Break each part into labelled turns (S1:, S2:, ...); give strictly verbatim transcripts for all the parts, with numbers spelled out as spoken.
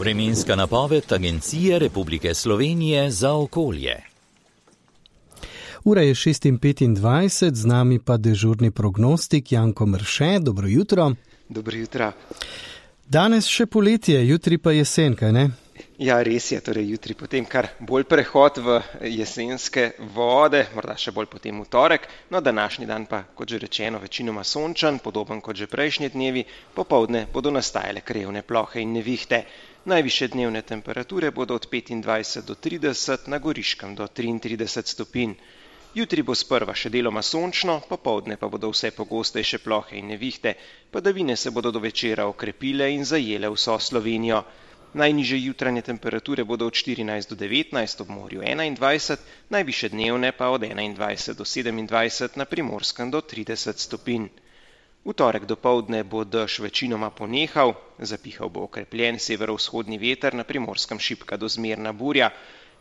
S1: Vremenska napoved Agencije Republike Slovenije za okolje.
S2: Ura je šest petindvajset, z nami pa dežurni prognostik Janko Mrše. Dobro jutro.
S3: Dobro jutro.
S2: Danes še poletje, jutri pa jesen, kaj ne?
S3: Ja, res je, torej jutri potem kar bolj prehod v jesenske vode, morda še bolj potem v torek, no današnji dan pa, kot že rečeno, večinoma sončen, podoben kot že prejšnji dnevi, popoldne bodo nastajale krajevne plohe in nevihte. Najvišje dnevne temperature bodo od petindvajset do trideset, na Goriškem do triintrideset stopinj. Jutri bo sprva še deloma sončno, popoldne pa bodo vse pogostejše plohe in nevihte, padavine se bodo do večera okrepile in zajele vso Slovenijo. Najnižje jutranje temperature bodo od štirinajst do devetnajst, ob morju enaindvajset, najvišje dnevne pa od enaindvajset do sedemindvajset, na Primorskem do trideset stopinj. V torek dopoldne bo dež večinoma ponehal, zapihal bo okrepljen severovzhodni veter, na Primorskem šibka do zmerna burja.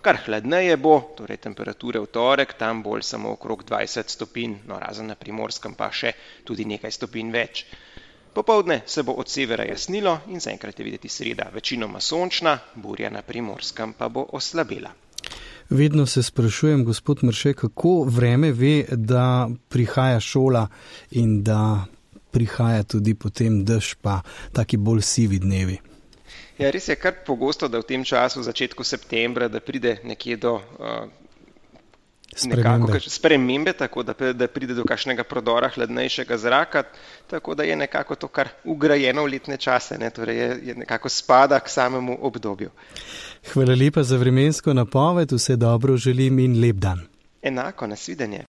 S3: Kar hladneje bo, torej temperature v torek, tam bolj samo okrog dvajset stopinj, no razen na Primorskem pa še tudi nekaj stopinj več. Popoldne se bo od severa jasnilo in zaenkrat je videti sreda večinoma sončna, burja na Primorskem pa bo oslabela.
S2: Vedno se sprašujem, gospod Mrše, kako vreme ve, da prihaja šola in da prihaja tudi potem dež pa taki bolj sivi dnevi.
S3: Ja, res je kar pogosto, da v tem času, v začetku septembra, da pride nekje do uh,
S2: spremembe.
S3: Nekako, spremembe, tako da, da pride do kakšnega prodora hladnejšega zraka, tako da je nekako to kar ugrajeno v letne čase, ne? Torej je, je nekako spada k samemu obdobju.
S2: Hvala lepa za vremensko napoved, vse dobro želim in lep dan.
S3: Enako, nasvidenje.